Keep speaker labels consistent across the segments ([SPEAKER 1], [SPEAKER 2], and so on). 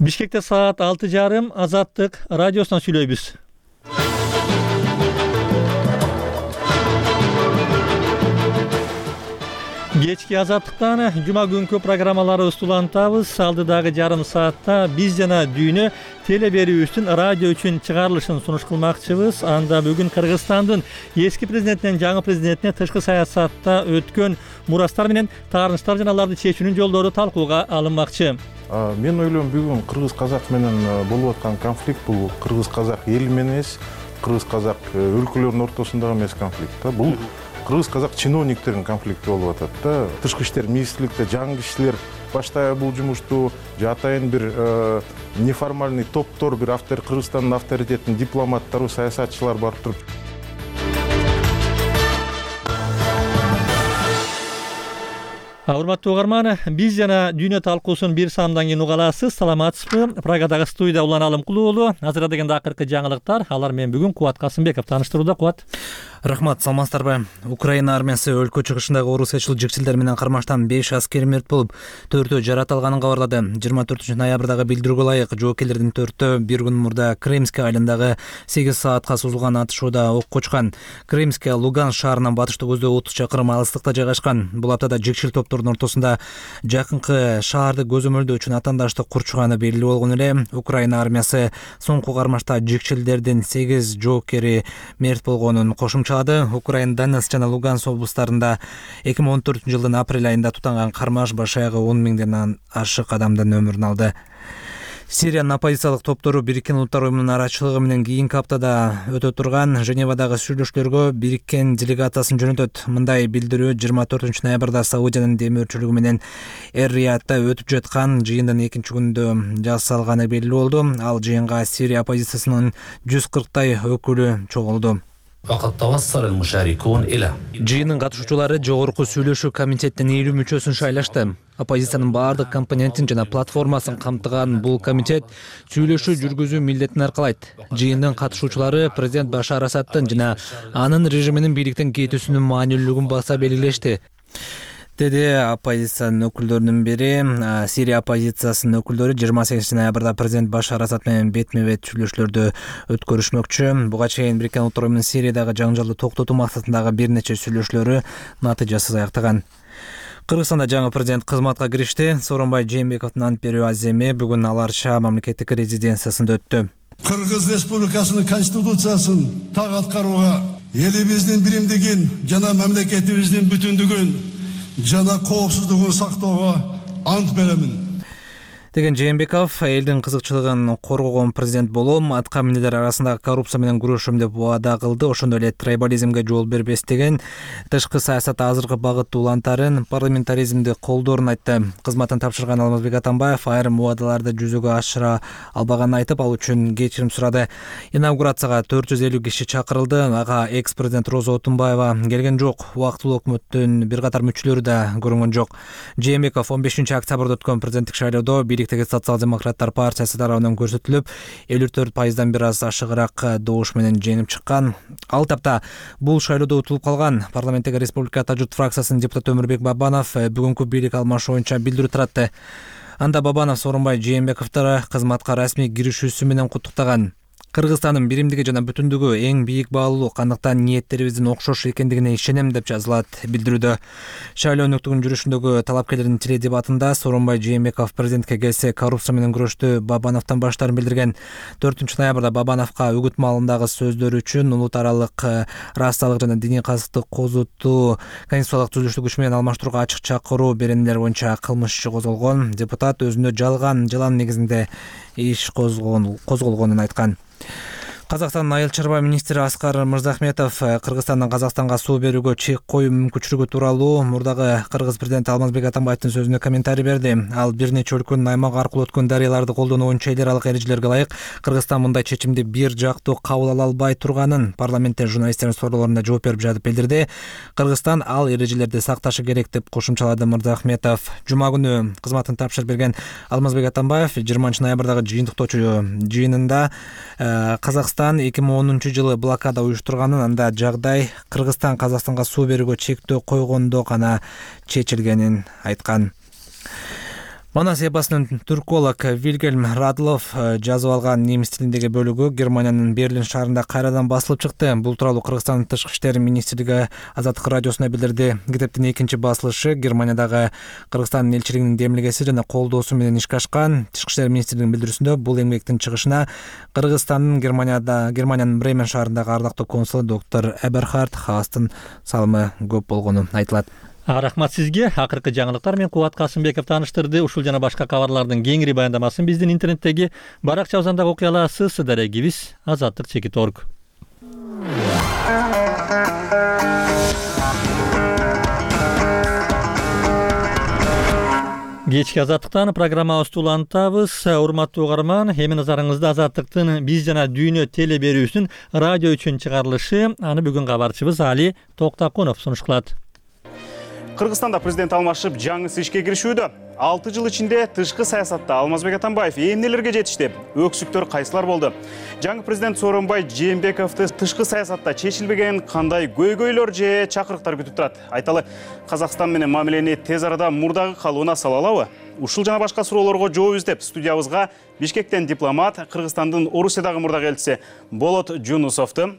[SPEAKER 1] Бишкекте саат 6:30 Азаттык радиосунан сүйлөйбүз. Кечки Азаттыктан жума күнкү программаларыбызды улантабыз. Алдыдагы жарым саатта биз жана дүйнө теле берүүбүздүн радио үчүн чыгарылышын сунуш кылмакчыбыз. Анда бүгүн Кыргызстандын эски президентинен жаңы президентине тышкы саясатта өткөн мурастар менен таарынычтар жана аларды чечүүнүн жолдору талкууга алынмакчы.
[SPEAKER 2] Мен ойлойм, бүгүн кыргыз-казак менен болуп аткан конфликт бул кыргыз-казак эли менен эмес, кыргыз-казак өлкөлөрдүн ортосундагы эмес конфликт. Бул кыргыз-казак чиновниктердин конфликти болуп атат да. Тышкы иштер министрликте жаңы кишилер баштайбы бул жумушту, же атайын бир неформальный топтор, бир Кыргызстандын авторитеттин дипломаттары, саясатчылар барып туруп.
[SPEAKER 1] Урматтуу угарман, биз жана дүйнө талкуусун бир саамдан кийин уга аласыз. Саламатсызбы? Прагадагы студия Улан Алымкулуулу. Азыр дегенде акыркы жаңылыктар. Алар менен бүгүн Кубат Касымбеков таныштырууда. Кубат.
[SPEAKER 3] Рахмат, саламатсыздарбы? Украина армиясы өлкө чыгышындагы орусиячыл жикчилдер менен кармаштан 5 аскер мерт болуп, 4-өө жаратылганын кабарлады. 24-ноябрдагы билдирүүгө ылайык жоокерлердин 4-өө бир күн мурда Кремский айылындагы 8 саатка созулган атышууда ок кочкан. Кремский Луганск шаарынан батышты көздөй 30 чакырым алыстыкта жайгашкан. Бул аптада жикчил топтордун ортосунда жакынкы шаарды көзөмөлдөө үчүн атандаштык курчуганы белгилүү болгон эле. Украина армиясы соңку кармашта жикчилдердин 8 жоокери мерт болгонун кошумчалады. Украина Донецк жана Луганск облустарында 2014-жылдын апрель айында тутанган кармаш баш аягы 10 миңден ашык адамдын өмүрүн алды. Сириянын оппозициялык топтору Бириккен Улуттар Уюмунун арачылыгы менен кийинки аптада өтө турган Женевадагы сүйлөшүүлөргө Бириккен делегациясын жөнөтөт. Мындай билдирүү 24-ноябрда Саудиянын демөөрчүлүгү менен Эр-Риядда өтүп жаткан жыйындын экинчи күнүндө жасалганы белгилүү болду. Ал жыйынга Сирия оппозициясынын 140 өкүлү чогулду. Жыйындын катышуучулары жогорку сүйлөшүү комитетинин 50 мүчөсүн шайлашты. Оппозициянын баардык компонентин жана платформасын камтыган бул комитет сүйлөшүү жүргүзүү милдетин аркалайт. Жыйындын катышуучулары президент Башар Асадтын жана анын режиминин бийликтен кетүүсүнүн маанилүүлүгүн баса белгилешти, деди оппозициянын өкүлдөрүнүн бири. Сирия оппозициясынын өкүлдөрү 28 ноябрда президент Башар Асад менен бетме-бет сүйлөшүүлөрдү өткөрүшмөкчү. Буга чейин Бириккен Улуттар Уюмунун Сириядагы жаңжалды токтотуу максатындагы бир нече сүйлөшүүлөрү натыйжасыз аяктаган. Кыргызстанда жаңы президент кызматка киришти. Сооронбай Жээнбековдун ант берүү аземи бүгүн Аларша мамлекеттик резиденциясында өттү.
[SPEAKER 4] Кыргыз Республикасынын конституциясын так аткарууга, элибиздин биримдигин жана мамлекетибиздин бүтүндүгүн жана коопсуздугун сактоого ант беремин,
[SPEAKER 3] деген Жээнбеков элдин кызыкчылыгын коргогон президент болом, атка минелер арасындагы коррупция менен күрөшөм деп убада кылды. Ошондой эле трибализмге жол бербес деген тышкы саясатта азыркы багытты улантарын, парламентаризмди колдоорун айтты. Кызматын тапшырган Алмазбек Атамбаев айрым убадаларды жүзөгө ашыра албаганын айтып, ал үчүн кечирим сурады. Инаугурацияга 450 киши чакырылды. Ага экс-президент Роза Отунбаева келген жок. Убактылуу өкмөттүн бир катар мүчөлөрү да көрүнгөн жок. Жээнбеков 15 октябрда өткөн президенттик шайлоодо Социал-демократтар партиясы тарабынан көрсөтүлүп, 54%дан бир аз ашыгыраак добуш менен жеңип чыккан. Ал тапта бул шайлоодо утулуп калган парламенттеги Республика Журт фракциясынын депутаты Өмүрбек Бабанов бүгүнкү бийлик алмашуу боюнча билдирүү таратты. Анда Бабанов Сооронбай Жээнбековду кызматка расмий киришүүсү менен куттуктаган. Кыргызстандын биримдиги жана бүтүндүгү эң бийик баалуулук, андыктан ниеттерибиздин окшош экендигине ишенем деп жазылат билдирүүдө. Шайлоо өнөктүгүнүн жүрүшүндөгү талапкерлердин теледебатында Сооронбай Жээнбеков президентке келсе коррупция менен күрөштү Бабановдон баштарын билдирген. 4-ноябрда Бабановго үгүт маалындагы сөздөрү үчүн улут аралык расалык жана диний казыктык козутуу конституциялык түзүлүштү күч менен алмаштырууга ачык чакыруу беренелер боюнча кылмыш иши козголгон. Депутат өзүндө жалан негизинде иш козголгонун айткан. Казакстандын айыл чарба министри Аскар Мырзахметов Кыргызстандан Казакстанга суу берүүгө чек коюу мүмкүнчүлүгү тууралуу мурдагы кыргыз президенти Алмазбек Атамбаевдин сөзүнө комментарий берди. Ал бир нече өлкөнүн аймак аркылуу өткөн дарыяларды колдонуу боюнча эл аралык эрежелерге ылайык Кыргызстан мындай чечимди бир жактуу кабыл ала албай турганын парламентте журналисттердин суроолоруна жооп берип жатып билдирди. Кыргызстан ал эрежелерди сакташы керек деп кошумчалады Мырзахметов. Жума күнү кызматын тапшырып берген Алмазбек Атамбаев 20-ноябрдагы жыйынтыктоочу жыйынында Казакстан 2010-жылы блокада уюштурганын, анда жагдай Кыргызстан Казакстанга суу берүүгө чектөө койгондо гана чечилгенин айткан. Манас эпосунун түрколог Вильгельм Радлов жазып алган немис тилиндеги бөлүгү Германиянын Берлин шаарында кайрадан басылып чыкты. Бул тууралуу Кыргызстандын Тышкы иштер министрлиги Азаттык радиосуна билдирди. Китептин экинчи басылышы Германиядагы Кыргызстандын элчилигинин демилгеси жана колдоосу менен ишке ашкан. Тышкы иштер министрлигинин билдирүүсүндө бул эмгектин чыгышына Кыргызстандын Германиянын Бремен шаарындагы ардактуу консулу доктор Эберхард Хаастын салымы көп болгону айтылат.
[SPEAKER 1] Рахмат сизге. Акыркы жаңылыктар мен Кубат Касымбеков тааныштырды. Ушул жана башка кабарлардын кеңири баяндамасын биздин интернеттеги баракча абзандагы окуя аласыз. Дарегибиз azatlyk.org. Кечки Азаттыктан программабызды улантабыз. Урматтуу угарман, эми назарыңызда Азаттыктын биз жана дүйнө теле берүүсүнүн радио үчүн чыгарылышы. Аны бүгүн кабарчыбыз Али Токтакунов сунуш кылат.
[SPEAKER 5] Кыргызстанда президент алмашып жаңысы ишке киришүүдө. 6 жыл ичинде тышкы саясатта Алмазбек Атамбаев эмнелерге жетишти? Өксүктөр кайсылар болду? Жаңы президент Сооронбай Жээнбековду тышкы саясатта чечилбеген кандай көйгөйлөр же чакырыктар күтүп турат? Айталы, Казакстан менен мамилени тез арада мурдагы калыбына сала алабы? Ушул жана башка суроолорго жооп издеп студиябызга Бишкектен дипломат, Кыргызстандын Орусиядагы мурдагы элчиси Болот Жунусовду,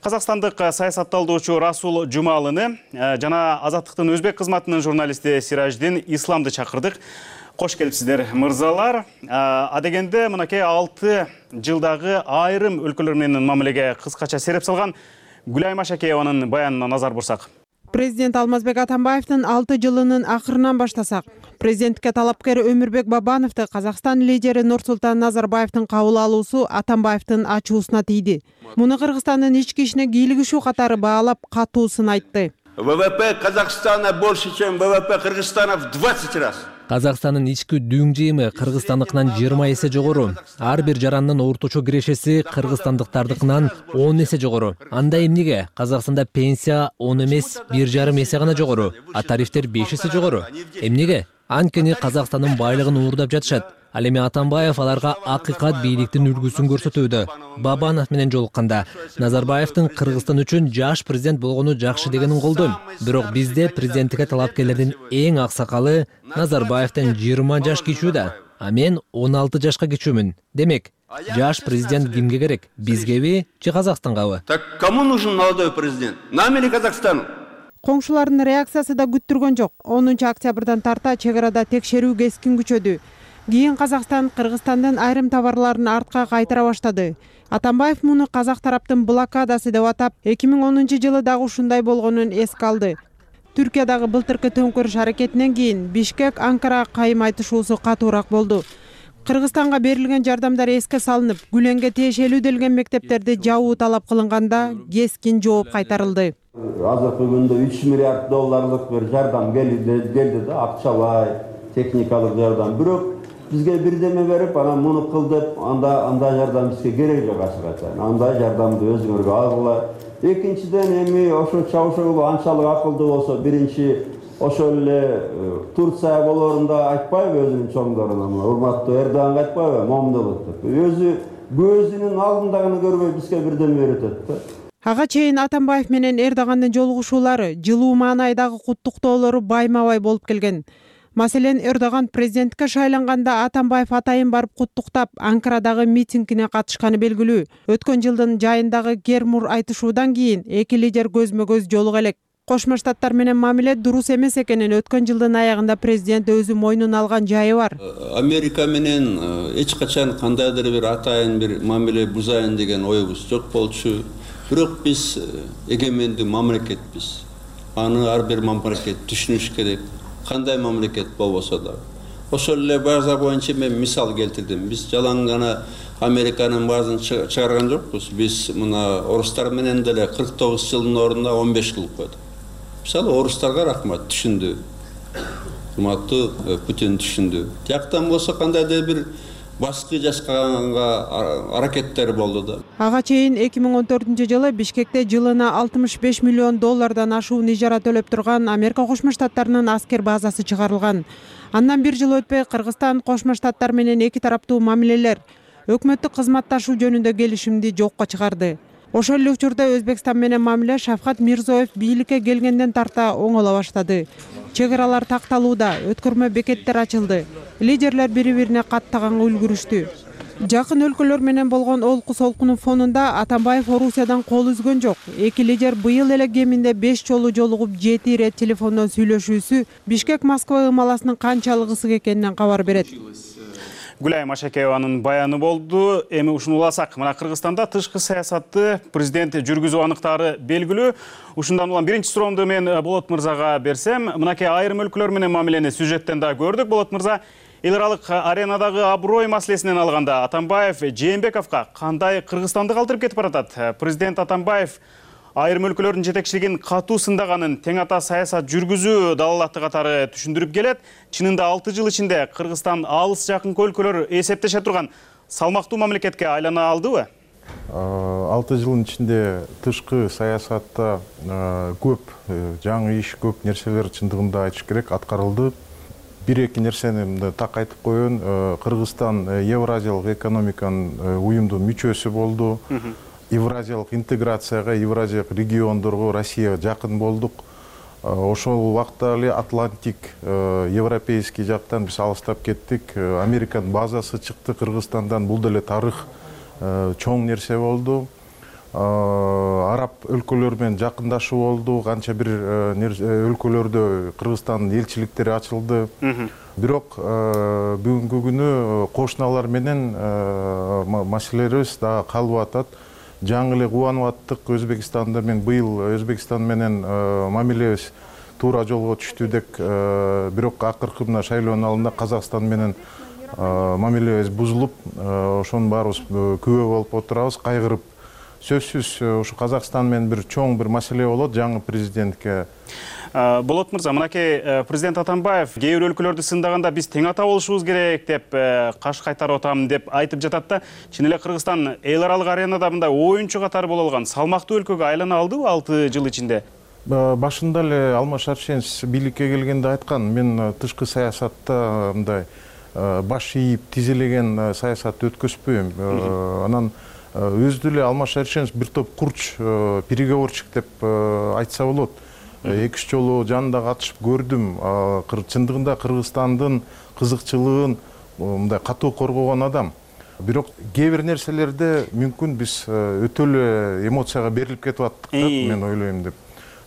[SPEAKER 5] Казакстандык саясатталдоочу Расул Жумалыны жана Азаттыктын өзбек кызматынын журналисти Сираждин Исламды чакырдык. Кош келипсиздер, мырзалар. Адегенде мынакей 6 жылдагы айрым өлкөлөр менен мамилеге кыскача сереп салган Гүлайым Ашакееванын баянына назар бурсак.
[SPEAKER 6] Президент Алмазбек Атамбаевдин 6 жылынын акырынан баштасак, президенттикке талапкер Өмүрбек Бабановду Казакстан лидери Нурсултан Назарбаевдин кабыл алуусу Атамбаевдин ачуусуна тийди. Муну Кыргызстандын ички ишине кийлигишүү катары баалап, катуусын айтты.
[SPEAKER 7] ВВП Казахстана больше, чем ВВП Кыргызстана в 20 раз.
[SPEAKER 8] Казакстандын ички дүң жыйымы Кыргызстандыкынан 20 эсе жогору. Ар бир жарандын орточо кирешеси кыргызстандыктардыкынан 10 эсе жогору. Анда эмнеге Казакстанда пенсия 10 эмес 1,5 эсе гана жогору, а тарифтер 5 эсе жогору? Эмнеге? Анткени Казакстандын байлыгын уурдап жатышат. Ал эми Атамбаев аларга акыйкат бийликтин үлгүсүн көрсөтүүдө. Бабанов менен жолукканда Назарбаевдин Кыргызстан үчүн жаш президент болгону жакшы дегенин колдойм. Бирок бизде президенттикке талапкерлердин эң аксакалы Назарбаевден 20 жаш кичүү да, а мен 16 жашка кичүүмүн. Демек, жаш президент кимге керек? Бизгеби же Казакстангабы?
[SPEAKER 7] Так кому нужен молодой президент? Нам или Казахстану?
[SPEAKER 6] Коңшулардын реакциясы да күттүргөн жок. 10 октябрдан тарта чек арада текшерүү кескин күчөдү. Кийин Казакстан Кыргызстандын айрым товарларын артка кайтара баштады. Атамбаев муну казак тараптын блокадасы деп атап, 2010 жылы дагы ушундай болгонун эске алды. Түркиядагы былтыркы төңкөрүш аракетинен кийин Бишкек Анкара кайым айтышуусу катуураак болду. Кыргызстанга берилген жардамдар эске салынып, Гүленге тиешелүү делген мектептерди жабуу талап кылынганда кескин жооп кайтарылды.
[SPEAKER 9] Азыркы күндө 3 миллиард долларлык бир жардам келди да, акчалай, техникалык жардам. Бирок бизге бирдеме берип, анан муну кыл деп, анда жардам бизге керек жок ачык. Андай жардамды өзүңөргө алгыла. Экинчиден эми ошо Чавушоглу анчалык акылдуу болсо, биринчи ошол эле Турция болорунда айтпайбы өзүнүн чоңдоруна, урматтуу Эрдоганга айтпайбы, момдулук деп. Өзү көзүнүн алдындагыны көрбөй бизге бирдеме үйрөтөт да.
[SPEAKER 6] Ага чейин Атамбаев менен Эрдогандын жолугушуулары, жылуу маанайдагы куттуктоолору байма-бай болуп келген. Маселен, Эрдоган президенттикке шайланганда Атамбаев атайын барып куттуктап, Анкарадагы митингине катышканы белгилүү. Өткөн жылдын жайындагы Гермур айтышуудан кийин эки лидер көзмө-көз жолуга элек. Кошмо Штаттар менен мамиле дурус эмес экенин өткөн жылдын аягында президент өзү мойнуна алган жайы бар.
[SPEAKER 7] Америка менен эч качан кандайдыр бир атайын бир мамиле бузайын деген оюбуз жок болчу. Бирок биз эгемендүү мамлекетпиз. Аны ар бир мамлекет түшүнүш керек. Кандай мамлекет болбосо да. Ошол эле база боюнча мен мисал келтирдим. Биз жалаң гана Американын баазын чыгарган жокпуз. Биз мына орустар менен деле 49 жылдын ордуна 15 кылып койдук. Мисалы орустарга рахмат, түшүндү. Урматтуу Путин түшүндү. Тияктан болсо кандайдыр бир баскы жасаганга аракеттер болду да.
[SPEAKER 6] Ага чейин 2014 жылы Бишкекте жылына 65 миллион доллардан ашуун ижара төлөп турган Америка Кошмо Штаттарынын аскер базасы чыгарылган. Андан бир жыл өтпөй Кыргызстан Кошмо Штаттар менен эки тараптуу мамилелер, өкмөттүк кызматташуу жөнүндө келишимди жокко чыгарды. Ошол эле учурда Өзбекстан менен мамиле Шавкат Мирзиёев бийликке келгенден тарта оңоло баштады. Чек аралар такталууда, өткөрмө бекеттер ачылды. Лидерлер бири-бирине каттаганга үлгүрүштү. Жакын өлкөлөр менен болгон олку солкунун фонунда Атамбаев Орусиядан кол үзгөн жок. Эки лидер быйыл эле кеминде 5 жолу жолугуп 7 ирет телефондон сүйлөшүүсү Бишкек-Москва ымаласынын канчалык ысык экенинен кабар берет.
[SPEAKER 5] Гүлай Машакееванын баяны болду. Эми ушуну уласак, мына Кыргызстанда тышкы саясатты президент жүргүзүү аныктары белгилүү. Ушундан улам биринчи суроомду мен Болот мырзага берсем, мынакей айрым өлкөлөр менен мамилени сюжеттен да көрдүк. Болот мырза, эл аралык аренадагы аброй маселесинен алганда Атамбаев Жээнбековго кандай Кыргызстанды калтырып кетип баратат? Президент Атамбаев айрым өлкөлөрдүн жетекчилигин катуу сындаганын, тең ата саясат жүргүзүү далалаты катары түшүндүрүп келет. Чынында 6 жыл ичинде Кыргызстан алыс жакынкы өлкөлөр эсептеше турган салмактуу мамлекетке айлана алдыбы?
[SPEAKER 2] 6 жылдын ичинде тышкы саясатта көп жаңы иш, көп нерселер чындыгында айтыш керек аткарылды. Бир-эки нерсени так айтып коеюн. Кыргызстан Евразиялык экономиканын уюмдун мүчөсү болду. Евразиялык интеграцияга, Евразиялык региондорго Россияга жакын болдук. Ошол убакта эле Атлантик, европейский жактан биз алыстап кеттик. Американын базасы чыкты Кыргызстандан. Бул деле тарых чоң нерсе болду. Араб өлкөлөр менен жакындашуу болду. Канча бир өлкөлөрдө Кыргызстандын элчиликтери ачылды. Бирок бүгүнкү күнү кошуналар менен маселелерибиз дагы калып атат. Жаңы эле кубанып аттык Өзбекстанда мен быйыл Өзбекстан менен мамилебиз туура жолго түштү деп, бирок акыркы мына шайлоонун алдында Казакстан менен мамилебиз бузулуп, ошонун баарыбыз күбө болуп отурабыз, кайгырып. Сөзсүз ушу Казакстан менен бир чоң бир маселе болот жаңы президентке.
[SPEAKER 5] Болот мырза, мынакей президент Атамбаев кээ бир өлкөлөрдү сындаганда биз тең ата болушубуз керек деп каш кайтарып атам деп айтып жатат да, чын эле Кыргызстан эл аралык аренада мындай оюнчу катары боло алган салмактуу өлкөгө айлана алдыбы 6 жыл ичинде?
[SPEAKER 2] Башында эле Алмаз Шаршенов бийликке келгенде айткан, мен тышкы саясатта мындай баш ийип тизелеген саясат өткөзбөйм. Анан өзү эле Алмаз Шаршенов бир топ курч переговорщик деп айтса болот. 2-3 жолу жанында катышып көрдүм. Чындыгында Кыргызстандын кызыкчылыгын мындай катуу коргогон адам. Бирок кээ бир нерселерде мүмкүн биз өтө эле эмоцияга берилип кетип аттык деп мен ойлойм деп.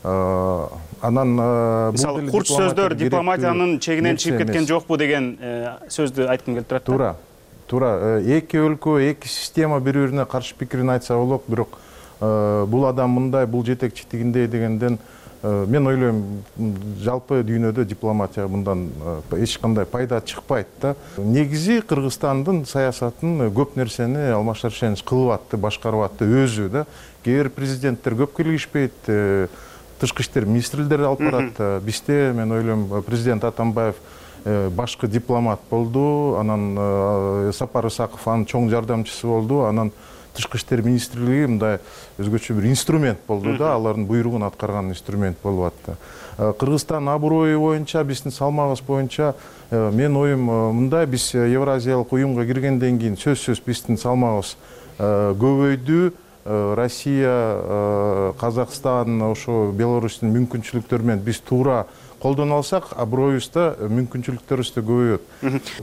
[SPEAKER 2] Анан
[SPEAKER 5] мисалы курч сөздөр дипломатиянын чегинен чыгып кеткен жокпу деген сөздү айткым келип турат.
[SPEAKER 2] Туура. Эки өлкө, эки система бири-бирине каршы пикирин айтса болот, бирок бул адам мындай, бул жетекчи тигиндей дегенден мен ойлойм, жалпы дүйнөдө дипломатия мындан эч кандай пайда чыкпайт да. Негизи Кыргызстандын саясатын көп нерсени Алмаз Шаршенов кылып атты, башкарып атты өзү да. Кээ бир президенттер көп келишпейт, тышкы иштер министрлери алып барат. Бизде мен ойлойм президент Атамбаев башкы дипломат болду, анан Сапар Исаков анын чоң жардамчысы болду, анан тышкы иштер министрлиги мындай өзгөчө бир инструмент болду да, алардын буйругун аткарган инструмент болуп атты. Кыргызстан аброю боюнча, биздин салмагыбыз боюнча мен оюм мындай, биз Евразиялык уюмга киргенден кийин сөзсүз биздин салмагыбыз көбөйдү. Россия, Казакстан, ошо Беларустун мүмкүнчүлүктөрү менен биз туура колдоно алсак, аброюбузда мүмкүнчүлүктөрүбүз да көбөйөт.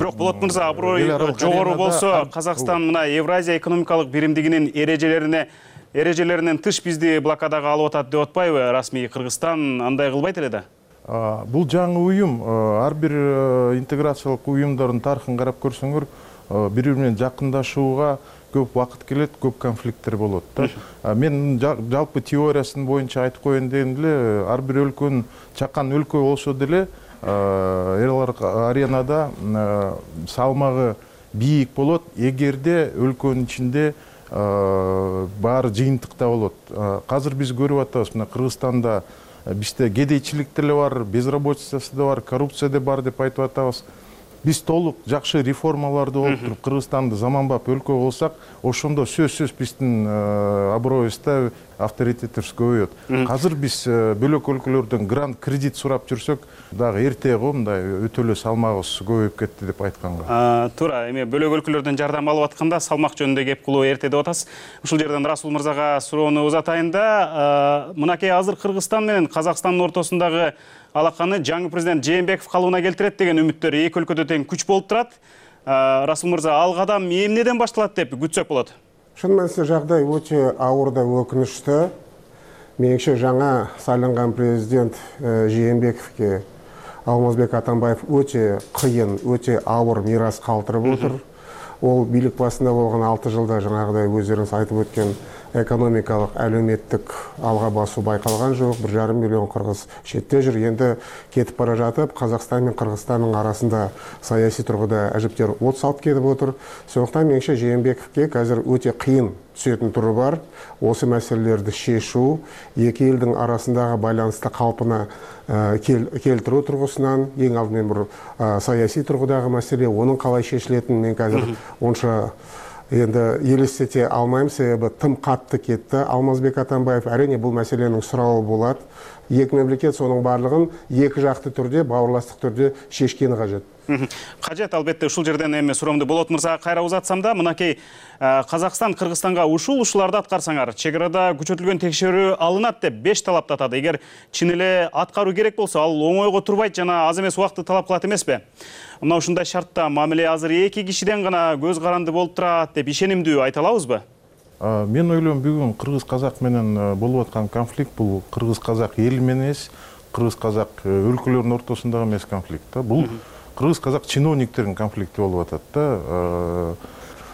[SPEAKER 5] Бирок Болот мырза, аброй жогору болсо, Казакстан мына Евразия экономикалык биримдигинин эрежелеринен тыш бизди блокадага алып атат деп атпайбы? Расмий Кыргызстан андай кылбайт эле да.
[SPEAKER 2] Бул жаңы уюм, ар бир интеграциялык уюмдардын тарыхын карап көрсөңөр, бири-бири менен жакындашууга көп вакыт келет, көп конфликттер болот да. Мен жалпы теориясын боюнча айтып коеюн дегем эле, ар бир өлкөнүн чакан өлкө болсо деле аренада салмагы бийик болот, эгерде өлкөнүн ичинде баары жыйынтыкта болот. Азыр биз көрүп атабыз, мына Кыргызстанда бизде кедейчилик деле бар, безработицасы да бар, коррупция да бар деп айтып атабыз. биз толук жакшы реформаларды болуп туруп Кыргызстанды заманбап өлкө кылсак, ошондо сөзсүз биздин аброюбузда авторитетибиз көбөйөт. Азыр биз бөлөк өлкөлөрдөн грант, кредит сурап жүрсөк, дагы эрте го мындай өтөлө салмагыбыз көбөйүп кетти деп айтканга.
[SPEAKER 5] Туура, эми бөлөк өлкөлөрдөн жардам алып атканда салмак жөнүндө кеп кылуу эрте деп атасыз. Ушул жерден Расул мырзага суроону узатайын да, мынакей азыр Кыргызстан менен Казакстандын ортосундагы алаканы жаңы президент Жээнбеков калыбына келтирет деген үмүттөр эки өлкөдө тең күч болуп турат. Расул мырза, ал кадам эмнеден башталат деп күтсөк болот?
[SPEAKER 10] Шын мәнісінде жағдай өте ауыр да өкінішті. Меніңше жаңа сайланған президент Жээнбековке Алмазбек Атамбаев өте қиын, өте ауыр мирас қалтырып отыр. Ол билік басында болған 6 жылда жаңағыдай өздеріңіз айтып өткен экономикалық, әлеуметтік алға басу байқалған жоқ. 1,5 миллион қырғыз шетте жүр. Енді кетіп бара жатып, Қазақстан мен Қырғызстанның арасында саяси тұрғыда әжіптер от салып кетіп отыр. Сондықтан меніңше Жээнбековке қазір өте қиын түсетін түрі бар. Осы мәселелерді шешу, екі елдің арасындағы байланысты қалпына келтіру тұрғысынан, ең алдымен бір саяси тұрғыдағы мәселе, оның қалай шешілетінін мен қазір онша енді елестете алмаймын, себебі тым қатты кетті. Алмазбек Атамбаев әрине бұл мәселенің сұрауы болады. Екі мемлекет соның барлығын екі жақты түрде, бауырластық түрде шешкені қажет.
[SPEAKER 5] Қажет, албетте. Ушул жерден эми суроомду Болот мырзага кайра узатсам да, мынакей Казакстан Кыргызстанга ушуларды аткарсаңар, чек-арада күчөтүлгөн текшерүү алынат деп 5 талапты атады. Эгер чын эле аткаруу керек болсо, ал оңойго турбайт жана аз эмес убакытты талап кылат эмеспи? Мына ушундай шартта мамиле азыр 2 кишиден гана көз каранды болуп турат деп ишенимдүү айта алабызбы?
[SPEAKER 2] Мен ойлойм, бүгүн кыргыз-казак менен болуп аткан конфликт бул кыргыз-казак эл менен эмес, кыргыз-казак өлкөлөрдүн ортосундагы эмес конфликт. Бул кыргыз-казак чиновниктердин конфликти болуп атат да.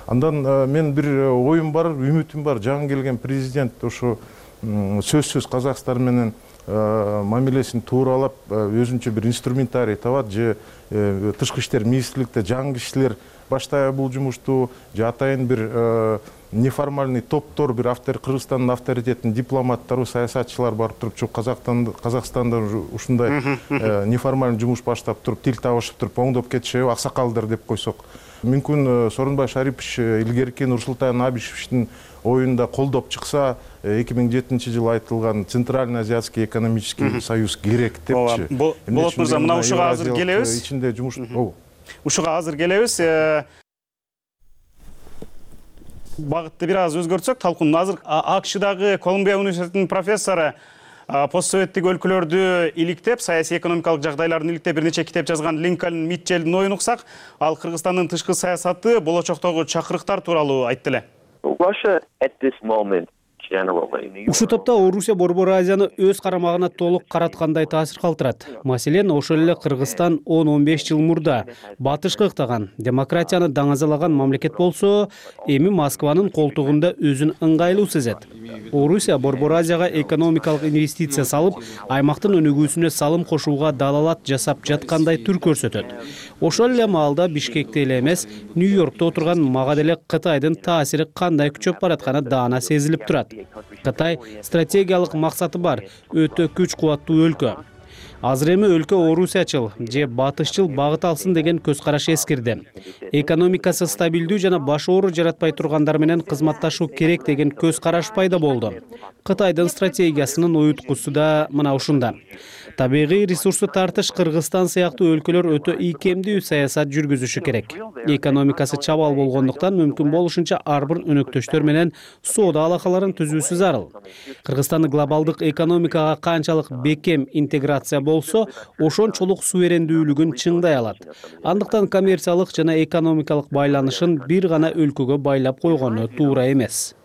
[SPEAKER 2] Андан мен бир оюм бар, үмүтүм бар. Жаңы келген президент ошо сөзсүз Казакстан менен мамилесин тууралап, өзүнчө бир инструментарий табат, же тышкы иштер министрликте жаңы кишилер баштайбы бул жумушту, же атайын бир неформальный топтор, бир Кыргызстандын авторитетин дипломаттары, саясатчылар барып туруп, Казакстанда ушундай неформальный жумуш баштап туруп, тил табышып туруп, оңдоп кетишеби аксакалдар деп койсок. Мүмкүн Сооронбай Шарипович илгерки Нурсултан Абишевичтин оюнда колдоп чыкса, 2007 жылы айтылган Центральный Азиатский экономический союз керек депчи.
[SPEAKER 5] Болот мырза, мына ушуга азыр келебиз.
[SPEAKER 2] Ичинде жумуш.
[SPEAKER 5] Ушуга азыр келебиз. Багытты бир аз өзгөртсөк, талкуун азыр АКШдагы Колумбия университетинин профессору постсоветтик өлкөлөрдү иликтеп, саясий экономикалык жагдайларын иликтеп бир нече китеп жазган Линкольн Митчелдин оюн уксак, ал Кыргызстандын тышкы саясаты, болочоктогу чакырыктар тууралуу айтты эле.
[SPEAKER 11] Ушул топто Орусия Борбор Азияны өз карамагына толук караткандай таасир калтырат. Маселен, ошол эле Кыргызстан 10-15 жыл мурда батышкы ыктаган, демократияны даңазалаган мамлекет болсо, эми Москванын колтугунда өзүн ыңгайлуу сезет. Орусия Борбор Азияга экономикалык инвестиция салып, аймактын өнүгүүсүнө салым кошууга далалат жасап жаткандай түр көрсөтөт. Ошол эле маалда Бишкекте эле эмес, Нью-Йоркто отурган мага деле Кытайдын таасири кандай күчөп баратканы даана сезилип турат. Кытай стратегиялык максаты бар, өтө күч кубаттуу өлкө. Азыр эми өлкө орусиячыл же батышчыл багыт алсын деген көз караш эскирди. Экономикасы стабилдүү жана баш оору жаратпай тургандар менен кызматташуу керек деген көз караш пайда болду. Кытайдын стратегиясынын уюткусу да мына ушунда. Табигый ресурсу тартыш Кыргызстан сыяктуу өлкөлөр өтө ийкемдүү саясат жүргүзүшү керек. Экономикасы чабал болгондуктан мүмкүн болушунча ар бир өнөктөштөр менен соода алакаларын түзүүсү зарыл. Кыргызстан глобалдык экономикага канчалык бекем интеграция болсо, ошончолук суверендүүлүгүн чыңдай алат. Андыктан коммерциялык жана экономикалык байланышын бир гана өлкөгө байлап койгону туура эмес.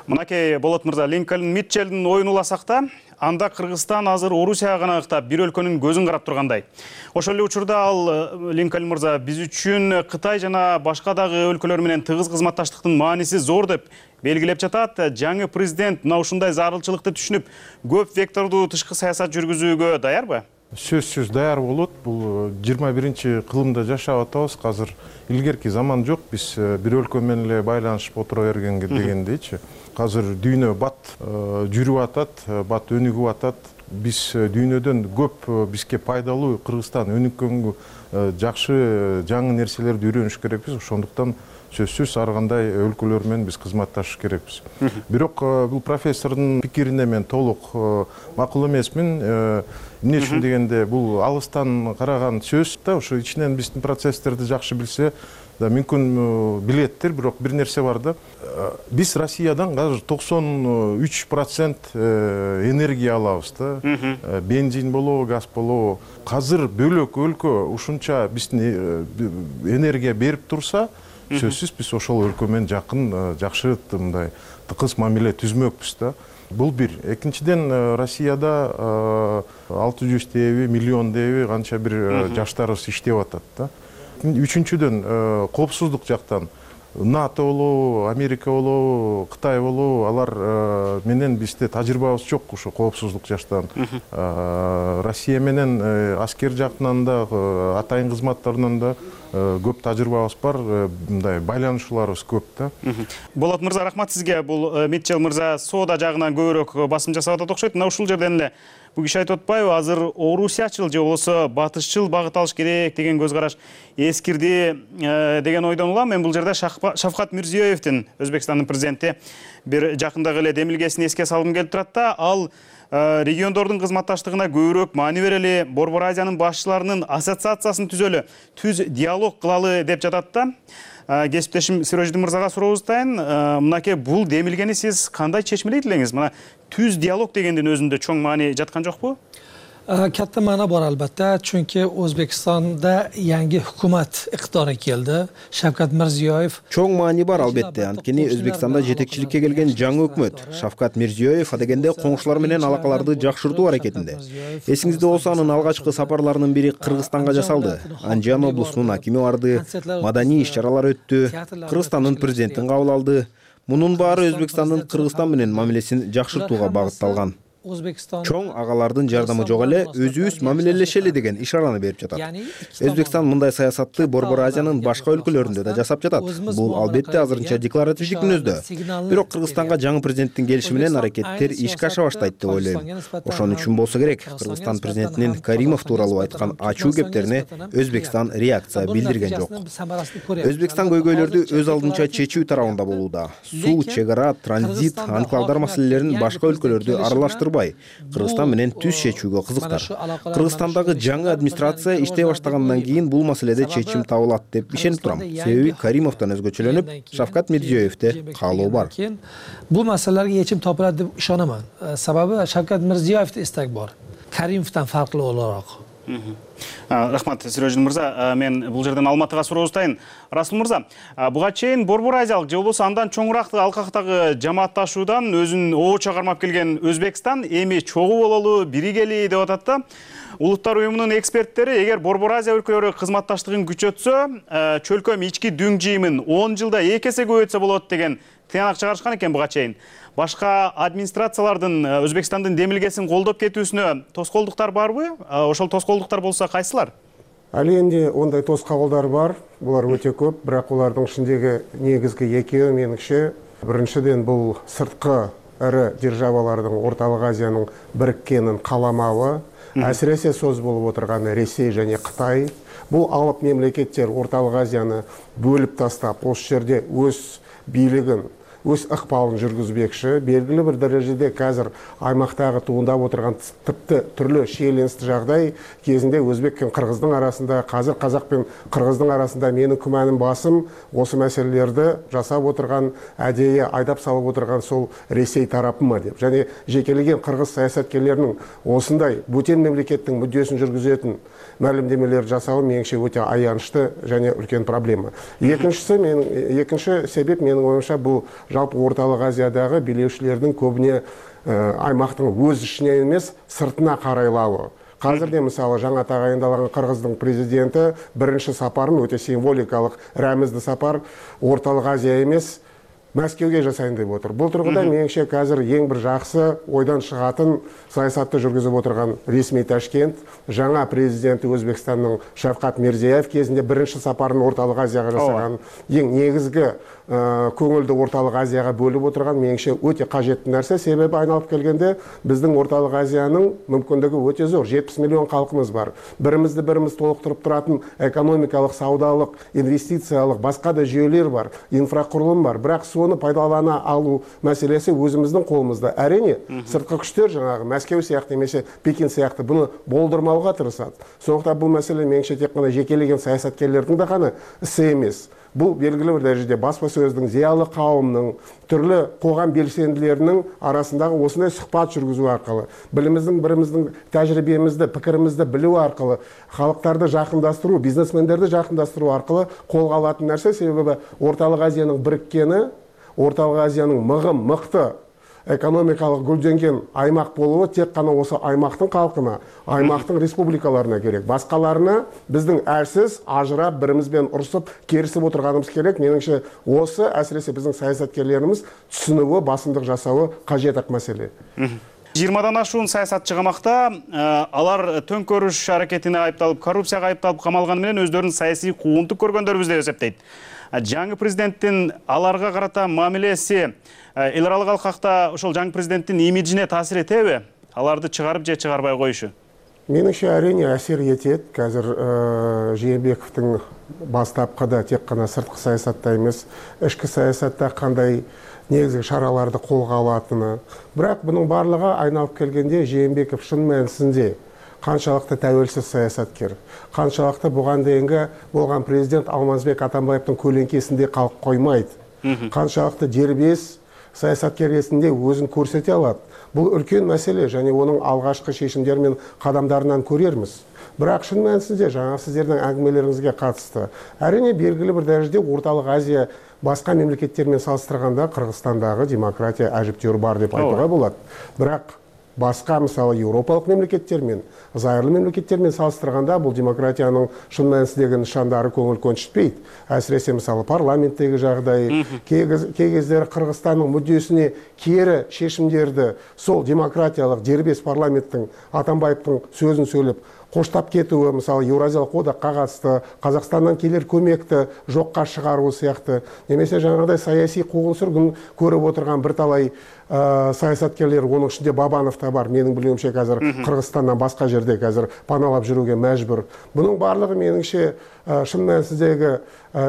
[SPEAKER 5] Мынакей Болот мырза, Линкольн Митчелдин оюн уласак да, анда Кыргызстан азыр Орусияга гана ыктап, бир өлкөнүн көзүн карап тургандай. Ошол эле учурда ал Линкольн мырза, биз үчүн Кытай жана башка дагы өлкөлөр менен тыгыз кызматташтыктын мааниси зор деп белгилеп жатат. Жаңы президент мына ушундай зарылчылыкты түшүнүп, көп вектордуу тышкы саясат жүргүзүүгө даярбы?
[SPEAKER 2] Сөзсүз даяр болот. Бул 21 кылымда жашап атабыз. Азыр илгерки заман жок. Биз бир өлкө менен эле байланышып отура бергенге дегендейчи. Азыр дүйнө бат жүрүп атат, бат өнүгүп атат. биз дүйнөдөн көп бизге пайдалуу Кыргызстан өнүккөнгө жакшы жаңы нерселерди үйрөнүш керекпиз. Ошондуктан сөзсүз ар кандай өлкөлөр менен биз кызматташыш керекпиз. Бирок бул профессордун пикирине мен толук макул эмесмин. Эмне үчүн дегенде бул алыстан караган сөз да, ошо ичинен биздин процесстерди жакшы билсе да мүмкүн билеттир, бирок бир нерсе бар да. Биз Россиядан азыр 93% энергия алабыз да. Бензин болобу, газ болобу. Азыр бөлөк өлкө ушунча биздин энергия берип турса, сөзсүз биз ошол өлкө менен жакын, жакшы мындай тыкыз мамиле түзмөкпүз да. Бул бир. Экинчиден, Россияда 600 деби, миллион деби канча бир жаштарыбыз иштеп атат да. Үчүнчүдөн, коопсуздук жактан НАТО болобу, Америка болобу, Кытай болобу, алар менен бизде тажрыйбабыз жок ошо коопсуздук жактан. Россия менен аскер жактынан да, атайын кызматтарынан да көп тажрыйбабыз бар, мындай байланышууларыбыз көп да.
[SPEAKER 5] Болот мырза, рахмат сизге. Бул Митчел мырза соода жагынан көбүрөөк басым жасап атат окшойт. Мына ушул жерден эле бул киши айтып атпайбы, азыр орусиячыл же болбосо батышчыл багыт алыш керек деген көз караш эскирди деген ойдон улам. Мен бул жерде Шавкат Мирзиёевдин, Өзбекстандын президенти, бир жакындагы эле демилгесин эске салгым келип турат да. Ал региондордун кызматташтыгына көбүрөөк маани берели, Борбор Азиянын башчыларынын ассоциациясын түзөлү, түз диалог кылалы деп жатат да. Кесиптешим Сироджидин мырзага сурооздайын. Мынакей бул демилгени сиз кандай чечмелейт элеңиз? Мына түз диалог дегендин өзүндө чоң маани жаткан жокпу?
[SPEAKER 12] Katta ma'no bor albatta, chunki O'zbekistonda yangi hukumat iqtidorga keldi. Shavkat Mirziyoyev
[SPEAKER 13] Чоң маани бар албетте, анткени Өзбекстанда жетекчиликке келген жаңы өкмөт Шавкат Мирзиёев адегенде коңшулар менен алакаларды жакшыртуу аракетинде. Эсиңизде болсо, анын алгачкы сапарларынын бири Кыргызстанга жасалды. Анжан облусунун акими барды, маданий иш-чаралар өттү, Кыргызстандын президентин кабыл алды. Мунун баары Өзбекстандын Кыргызстан менен мамилесин жакшыртууга багытталган. Чоң агалардын жардамы жок эле, өзүбүз мамилелешели деген ишараны берип жатат. Өзбекстан мындай саясатты Борбор Азиянын башка өлкөлөрүндө да жасап жатат. Бул албетте азырынча декларативдик мүнөздө. Бирок Кыргызстанга жаңы президенттин келиши менен аракеттер ишке аша баштайт деп ойлойм. Ошон үчүн болсо керек, Кыргызстан президентинин Каримов тууралуу айткан ачуу кептерине Өзбекстан реакция билдирген жок. Өзбекстан көйгөйлөрдү өз алдынча чечүү тарабында болууда. Суу, чек ара, транзит, анклавдар маселелерин башка өлкөлөрдү аралаштырбай, Кыргызстан менен түз чечүүгө кызыктар. Кыргызстандагы жаңы администрация иштей баштагандан кийин бул маселеде чечим табылат деп ишенип турам. Себеби Каримовдон өзгөчөлөнүп, Шавкат Мирзиёевде каалоо бар.
[SPEAKER 12] Бул маселелерге чечим табылат деп ишенемин. Себеби Шавкат Мирзиёевде истек бар. Каримовдон фарклуу олорок.
[SPEAKER 5] Рахмат, Сироджидин мырза. Мен бул жерден Алматыга сурооздайын. Расул мырза, буга чейин Борбор Азиялык же болбосо андан чоңураак алкактагы жамаатташуудан өзүн обочо кармап келген Өзбекстан эми чогуу бололу, биригели деп атат да. Улуттар уюмунун эксперттери эгер Борбор Азия өлкөлөрү кызматташтыгын күчөтсө, чөлкөм ички дүң жыйымын 10 жылда 2 эсе көбөйтсө болот деген тыянак чыгарышкан экен буга чейин. Башка администрациялардын Өзбекстандын демилгесин колдоп кетүүсүнө тоскоолдуктар барбы? Ошол тоскоолдуктар болсо кайсылар?
[SPEAKER 10] Ал энди ондай тоскоолдар бар, булар өтө көп, бирок улардын ичиндеги негизги экөө менимче, биринчиден бул сырткы ыры державалардын Орталык Азиянын бириккенин каламабы, әсіресе сөз болуп отырган Ресей және Кытай. Бул алып мемлекеттер Орталык Азияны бөлүп тастап, ошол жерде өз бийлигин, өз ыкпалын жүргүзбекчи. Белгилүү бир дарежеде азыр аймактагы туындап отурган типти түрлүү шиеленисти жагдай кезинде Өзбек пен Кыргыздын арасында, азыр Казак пен Кыргыздын арасында менин күмөнүм басым осы маселелерди жасап отурган, адейи айдап салып отурган сол Ресей тарапымы деп. Және жекелеген кыргыз саясаткерлеринин осындай бөтен мемлекеттин мүддесин жүргүзөтүн маалымдемелер жасауы менимче өтө аянычтуу және үлкен проблема. Экинчи себеп менин оюмча бул жалпы Орталык Азиядагы бийлеушилердин көбүнө аймактын өз ичине эмес, сыртына карайлабы. Казырде мисалы жаңа тагайындалаган Кыргыздын президенти биринчи сапарын өтө символикалык, рәмиздүү сапар Орталык Азия эмес, Мәскеуге жасайын деп отыр. Бул тургуда менимче азыр эң бир жакшы ойдан чыгатын саясатты жүргүзүп отурган ресми Ташкент, жаңа президенти Өзбекстандын Шавкат Мирзиёев кезинде биринчи сапарын Орталык Азияга жасаган, эң негизги көңүлдү Орталык Азияга бөлүп отурган менимче өтө кажеттүү нерсе. Себеби айналып келгенде биздин Орталык Азиянын мүмкүндүгү өтө зор. 70 миллион калкыбыз бар. Бирибизди бирибиз толуктуруп туратын экономикалык, саудалык, инвестициялык башка да жүйөлөр бар, инфракурулум бар. Бирок сону пайдалана алуу маселеси өзүбүздүн колубузда. Әрине, сырткы күчтөр жанагы Мәскеу сыяктуу эмесе Пекин сыяктуу буну болдурмауга тырышат. Сондуктан бул маселе менимче тек гана жекелеген саясаткерлердин да гана isi эмес. Бул белгилүү бир дәрежеде баспа сөздүн, зыялы кауымдын, түрлү коғам белсендилеринин арасындагы осындай сухбат жүргүзүү аркылы, биримиздин тажрыйбемизди, пикиримизди билүү аркылы, халыктарды жакындастыруу, бизнесмендерди жакындастыруу аркылы колго алатын нерсе. Себеби Орталык Азиянын бириккени, Орталык Азиянын мыкты экономикалык гүлдөнген аймак болуу тек гана осы аймактын калкына, аймактын республикаларына керек. Башкаларына биздин әрсіз ажырап, бірimiz бен урушуп, керисип отурганыбыз керек. Менимче осы әсіресе биздин саясаткерлерimiz түшүнүүгө, басымдык жасауы кажет маселе.
[SPEAKER 5] 20-дан ашуун саясатчы камакта, алар төңкөрүш аракетине айыпталып, коррупцияга айыпталып камалганы менен өздөрүнүн саясий куугунтук көргөндөрбүз деп эсептейт. Жаңы президенттин аларга карата мамилеси эл аралык алкакта ошол жаңы президенттин имиджине таасир этеби? Аларды чыгарып же чыгарбай коюшу?
[SPEAKER 10] Менимче әрине әсер етет. Қазір Жээнбековдун бастапкыда тек гана сырткы саясатта эмес, ички саясатта кандай негизги шараларды колго алатыны. Бирок бунун барлыгы айналып келгенде Жээнбеков шын мәнисинде канчалыкты тәуелсиз саясаткер, канчалыкты буган дейинги болгон президент Алмазбек Атамбаевдин көлеңкесинде калып коймойт, канчалыкты дербес саясаткер ретинде өзүн көрсөтө алат. Бул үлкен маселе, және оның алгачкы чечимдери мен кадамдарынан көрермиз. Бирок шын мәнисинде жаңа сиздердин әңгимелериңизге катысты. Әрине белгилүү бир дәрежеде Орталык Азия башка мемлекеттер менен салыштырганда Кыргызстандагы демократия ажыптөөр бар деп айтууга болот. Бирок башка мисалы Европалык мемлекеттер менен, зайырлы мемлекеттер менен салыштырганда бул демократиянын шын мәнисиндеги нышандары көңүл көнчүтпейт. Әсиресе мисалы парламенттеги жагдай, кей кездери Кыргызстандын мүддөсүнө кери чечимдерди сол демократиялык дербес парламенттин Атамбаевдин сөзүн сөйлөп коштап кетүүі, мисалы Еуразиялык одакка катысты, Казакстандан келер көмекти жокка чыгаруу сыяктуу, немесе жаңагыдай саясий куугун-сүргүн көрүп отурган бир талай саясаткерлер, онун ичинде Бабанов да бар. Менин билүүмчө азыр Кыргызстандан башка жерде азыр паналап жүрүүгө мажбур. Бунун барлыгы менимче шын мәнисиндеги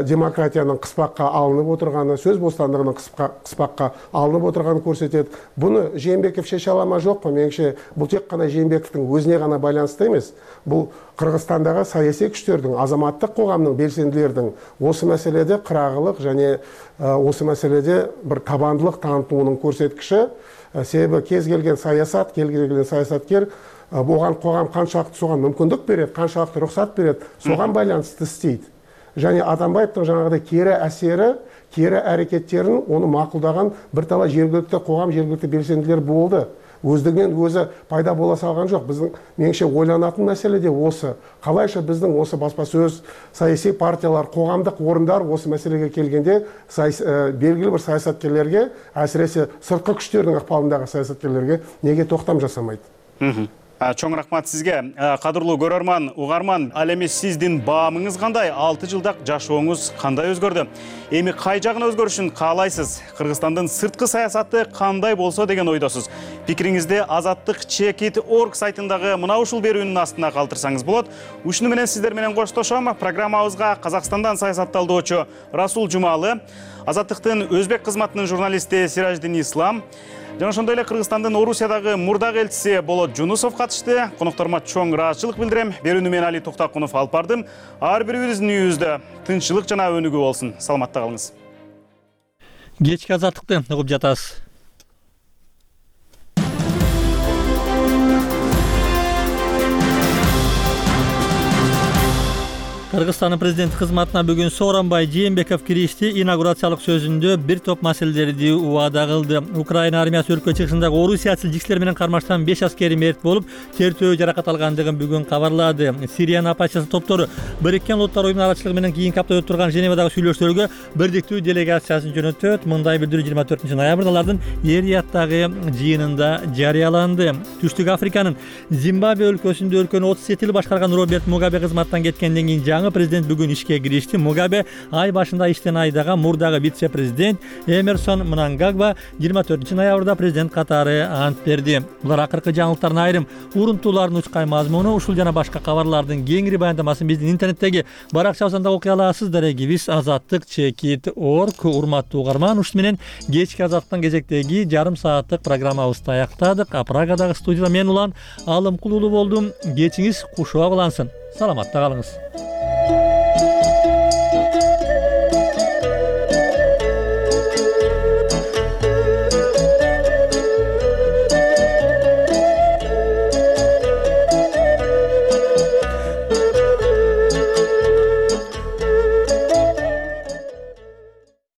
[SPEAKER 10] демократиянын кыспакка алынып отурганы, сөз бостандыгынын кыспакка алынып отурганын көрсөтөт. Буну Жээнбеков чече ала ма жокпу? Менимче бул тек гана Жээнбековдун өзүнө гана байланыштуу эмес. Бул Кыргызстандагы саясий күчтөрдүн, азаматтык коомдун белсендилердин осы маселеде кырагылык және осы маселеде бир табандылык танытуунун көрсөткүчү. Себеби кез келген саясат, кез келген саясаткер буган коғам канчалыкты соған мүмкүндүк берет, канчалыкты рухсат берет, соған байланысты істейт. Және Атамбаевдин жаңагыдай кері әсері, кері әрекеттерин оны мақұлдаған бір талай жергілікті коғам, жергілікті белсенділер болды. Өздігінен өзі пайда бола салған жоқ. Біздің меніңше ойланатын мәселе де осы. Қалайша біздің осы баспасөз, саяси партиялар, қоғамдық орындар осы мәселеге келгенде белгілі бір саясаткерлерге, әсіресе сыртқы күштердің ықпалындағы саясаткерлерге неге тоқтам жасамайды?
[SPEAKER 5] Чоң рахмат сизге. Кадырлуу көрөрман, угарман, ал эми сиздин баамыңыз кандай? 6 жылдак жашооңуз кандай өзгөрдү? Эми кай жагына өзгөрүшүн каалайсыз? Кыргызстандын сырткы саясаты кандай болсо деген ойдосуз? Пикириңизди azattik.org сайтындагы мына ушул берүүнүн астына калтырсаңыз болот. Ушуну менен сиздер менен коштошом. Программабызга Казакстандан саясатталдоочу Расул Жумалы, Азаттыктын өзбек кызматынын журналисти Сираждин Ислам, жана ошондой эле Кыргызстандын Орусиядагы мурдак элчиси Болот Жунусов катышты. Конокторума чоң ыраазычылык билдирем. Берүүнү мен Али Токтакунов алып бардым. Ар бирибиздин үйүбүздө тынччылык жана өнүгүү болсун. Саламатта калыңыз.
[SPEAKER 1] Кечки азаттыкты угуп жатасыз. Кыргызстандын президент кызматына бүгүн Сооронбай Жээнбеков киришти. Инаугурациялык сөзүндө бир топ маселелерди убада кылды. Украина армиясы өлкө чыгышындагы орусиячыл жиксилер менен кармаштан 5 аскери мерт болуп, тертөө жаракат алгандыгын бүгүн кабарлады. Сириянын оппозиция топтору Бириккен Улуттар уюмунун арачылыгы менен кийинки апта өтүп турган Женевадагы сүйлөшүүлөргө бирдиктүү делегациясын жөнөтөт. Мындай билдирүү 24 ноябрда алардын Эр-Рияттагы жыйынында жарыяланды. Түштүк Африканын Зимбабве өлкөсүндө өлкөнү 37 жыл башкарган Роберт Мугабе кызматтан кеткенден кийин жаңы жаңы президент бүгүн ишке киришти. Мугабе ай башында иштен айдаган мурдагы вице-президент Эмерсон Мнангагва 24-ноябрда президент катары ант берди. Булар акыркы жаңылыктардын айрым урунтууларынын учкай мазмуну. Ушул жана башка кабарлардын кеңири баяндамасын биздин интернеттеги баракчабыздан окуй аласыз. Дарегибиз azattik.org. Урматтуу угарман, ушун менен кечки Азаттыктан кезектеги жарым сааттык программабызды аяктадык. Прагадагы студияда мен Улан Алымкулуулу болдум. Кечиңиз кушуа кылансын. Саламатта калыңыз.